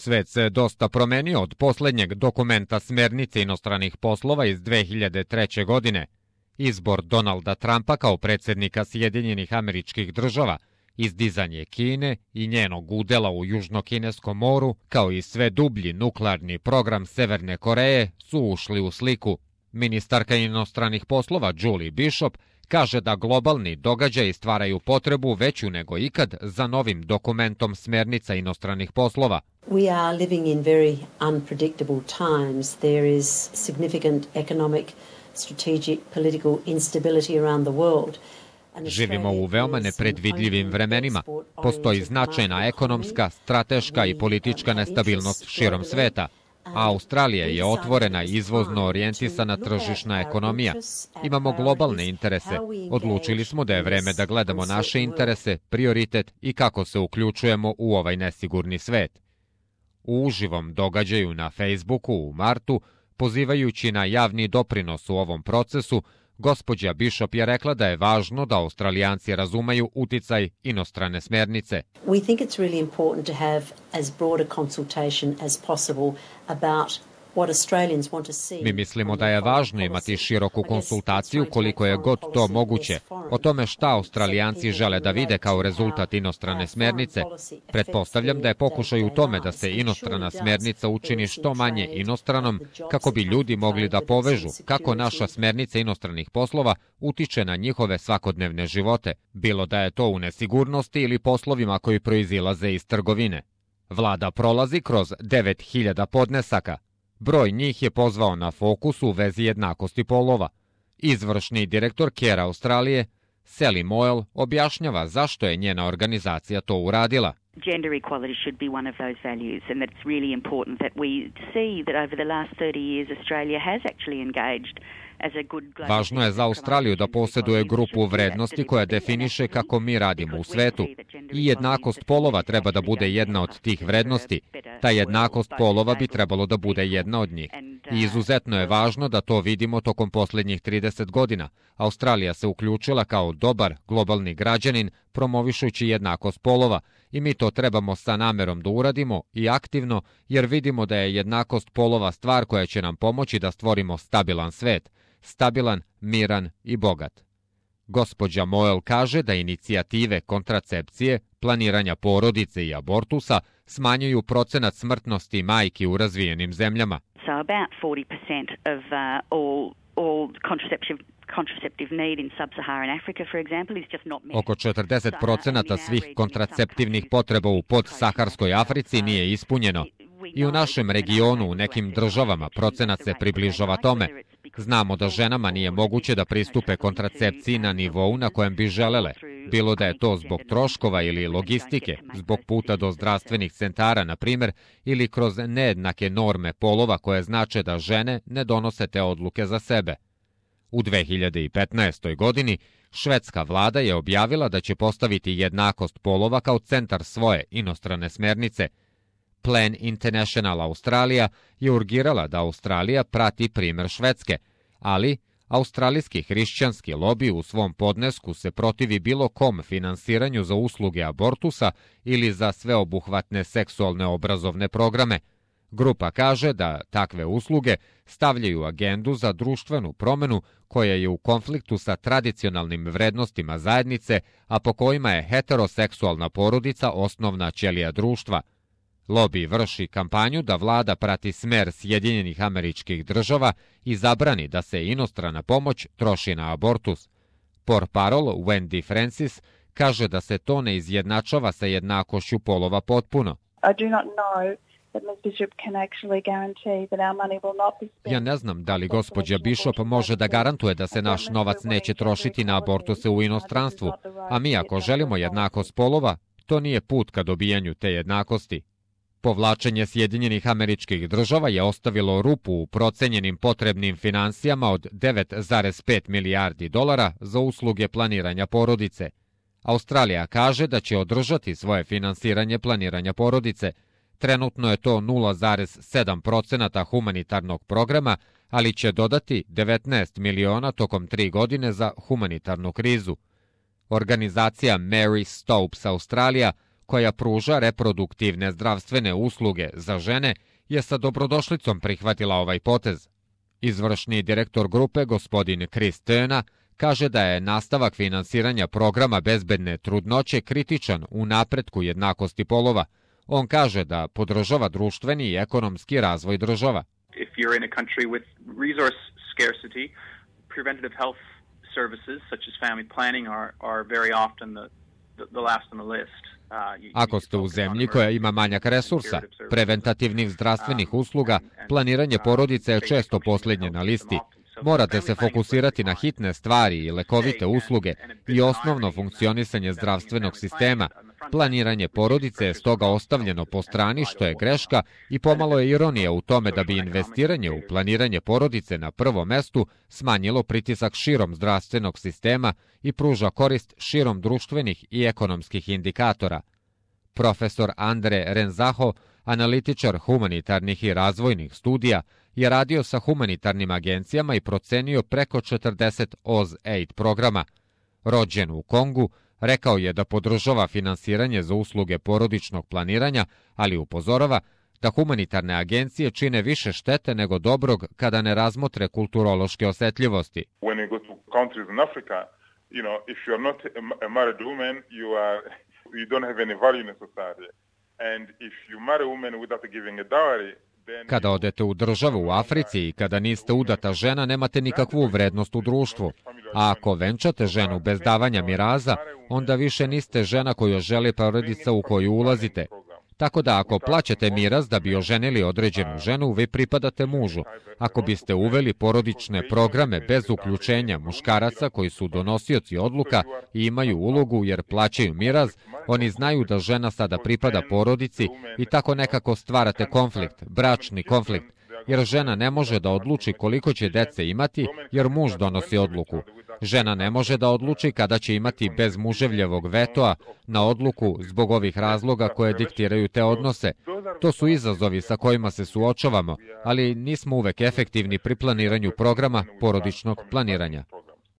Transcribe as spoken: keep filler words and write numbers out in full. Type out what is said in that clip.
Svet se dosta promenio od posljednjeg dokumenta smjernice inostranih poslova iz dve hiljade treće. godine. Izbor Donalda Trumpa kao predsjednika Sjedinjenih Američkih Država, izdizanje Kine i njenog udela u Južnokineskom moru, kao i sve dublji nuklearni program Severne Koreje su ušli u sliku. Ministarka inostranih poslova Julie Bishop kaže da globalni događaji stvaraju potrebu veću nego ikad za novim dokumentom smjernica inostranih poslova. We are living in very unpredictable times. There is significant economic, strategic, political instability around the world. Živimo u veoma nepredvidljivim vremenima. Postoji značajna ekonomska, strateška i politička nestabilnost širom sveta. A Australija je otvorena i izvozno orijentisana tržišna ekonomija. Imamo globalne interese. Odlučili smo da je vreme da gledamo naše interese, prioritet i kako se uključujemo u ovaj nesigurni svet. U uživom događaju na Facebooku u martu, pozivajući na javni doprinos u ovom procesu, gospođa Bishop je rekla da je važno da Australijanci razumeju uticaj inostrane smjernice. We think it's really important to have as broad a consultation as possible about what Australians want to see. Mi mislimo da je važno imati široku konsultaciju koliko je god to moguće o tome šta Australijanci žele da vide kao rezultat inostrane smjernice. Pretpostavljam da je pokušaj u tome da se inostrana smjernica učini što manje inostranom kako bi ljudi mogli da povežu kako naša smjernica inostranih poslova utiče na njihove svakodnevne živote, bilo da je to u nesigurnosti ili poslovima koji proizilaze iz trgovine. Vlada prolazi kroz devet hiljada podnesaka. Broj njih je pozvao na fokus u vezi jednakosti polova. Izvršni direktor Care Australije, Sally Moyle, objašnjava zašto je njena organizacija to uradila. Gender equality should be one of those values, and that's really important that we see that over the last thirty years Australia has actually engaged. Važno je za Australiju da posjeduje grupu vrednosti koja definiše kako mi radimo u svetu. I jednakost polova treba da bude jedna od tih vrednosti. Ta jednakost polova bi trebalo da bude jedna od njih. I izuzetno je važno da to vidimo tokom posljednjih trideset godina. Australija se uključila kao dobar globalni građanin promovišući jednakost polova i mi to trebamo sa namerom da uradimo i aktivno jer vidimo da je jednakost polova stvar koja će nam pomoći da stvorimo stabilan svet. Stabilan, miran i bogat. Gospođa Moyle kaže da inicijative kontracepcije, planiranja porodice i abortusa smanjuju procenat smrtnosti majki u razvijenim zemljama. So about forty percent of uh, all, all contraceptive contraceptive need in sub-Saharan Africa, for example, is just not met. Oko četrdeset procenata svih kontraceptivnih potreba u podsaharskoj Africi nije ispunjeno. I u našem regionu, u nekim državama, procenat se približava tome. Znamo da ženama nije moguće da pristupe kontracepciji na nivou na kojem bi želele, bilo da je to zbog troškova ili logistike, zbog puta do zdravstvenih centara, na primjer, ili kroz nejednake norme polova koje znače da žene ne donose te odluke za sebe. U dve hiljade petnaestoj. godini švedska vlada je objavila da će postaviti jednakost polova kao centar svoje inostrane smjernice. Plan International Australia je urgirala da Australija prati primjer Švedske, ali australijski hrišćanski lobi u svom podnesku se protivi bilo kom finansiranju za usluge abortusa ili za sveobuhvatne seksualne obrazovne programe. Grupa kaže da takve usluge stavljaju agendu za društvenu promjenu koja je u konfliktu sa tradicionalnim vrednostima zajednice, a po kojima je heteroseksualna porodica osnovna ćelija društva. Lobi vrši kampanju da vlada prati smer Sjedinjenih Američkih Država i zabrani da se inostrana pomoć troši na abortus. Portparol Wendy Francis kaže da se to ne izjednačava sa jednakošću polova potpuno. I do not know that Miz Bishop can actually guarantee that our money will not be spent. Ja ne znam da li gospođa Bishop može da garantuje da se naš novac neće trošiti na abortuse u inostranstvu, a mi ako želimo jednakost polova, to nije put ka dobijanju te jednakosti. Povlačenje Sjedinjenih Američkih Država je ostavilo rupu u procenjenim potrebnim financijama od devet zarez pet milijardi dolara za usluge planiranja porodice. Australija kaže da će održati svoje finansiranje planiranja porodice. Trenutno je to nula zarez sedam procenata humanitarnog programa, ali će dodati devetnaest miliona tokom tri godine za humanitarnu krizu. Organizacija Mary Stopes Australija koja pruža reproduktivne zdravstvene usluge za žene, je sa dobrodošlicom prihvatila ovaj potez. Izvršni direktor grupe, gospodin Chris Tena, kaže da je nastavak finansiranja programa bezbedne trudnoće kritičan u napretku jednakosti polova. On kaže da podržava društveni i ekonomski razvoj država. If you're in a country with resource scarcity, preventative health services such as family planning are are very often the the last on the list. Ako ste u zemlji koja ima manjak resursa, preventativnih zdravstvenih usluga, planiranje porodice je često posljednje na listi. Morate se fokusirati na hitne stvari i lekovite usluge i osnovno funkcionisanje zdravstvenog sistema. Planiranje porodice je stoga ostavljeno po strani, što je greška, i pomalo je ironija u tome da bi investiranje u planiranje porodice na prvom mestu smanjilo pritisak širom zdravstvenog sistema i pruža korist širom društvenih i ekonomskih indikatora. Profesor Andre Renzaho, analitičar humanitarnih i razvojnih studija, je radio sa humanitarnim agencijama i procenio preko četrdeset O Z Aid programa. Rođen u Kongu, rekao je da podržava finansiranje za usluge porodičnog planiranja, ali upozorava da humanitarne agencije čine više štete nego dobrog kada ne razmotre kulturološke osetljivosti. When you go to countries in Africa, you know, if you are not a married woman, you are you don't have any value in society. And if you marry a woman without giving a dowry, kada odete u državu u Africi i kada niste udata žena, nemate nikakvu vrednost u društvu. A ako venčate ženu bez davanja miraza, onda više niste žena koju želi porodica u koju ulazite. Tako da ako plaćate miraz da bi oženili određenu ženu, vi pripadate mužu. Ako biste uveli porodične programe bez uključenja muškaraca koji su donosioci odluka i imaju ulogu jer plaćaju miraz, oni znaju da žena sada pripada porodici i tako nekako stvarate konflikt, bračni konflikt, jer žena ne može da odluči koliko će dece imati jer muž donosi odluku. Žena ne može da odluči kada će imati bez muževljevog vetoa na odluku zbog ovih razloga koje diktiraju te odnose. To su izazovi sa kojima se suočavamo, ali nismo uvek efektivni pri planiranju programa porodičnog planiranja.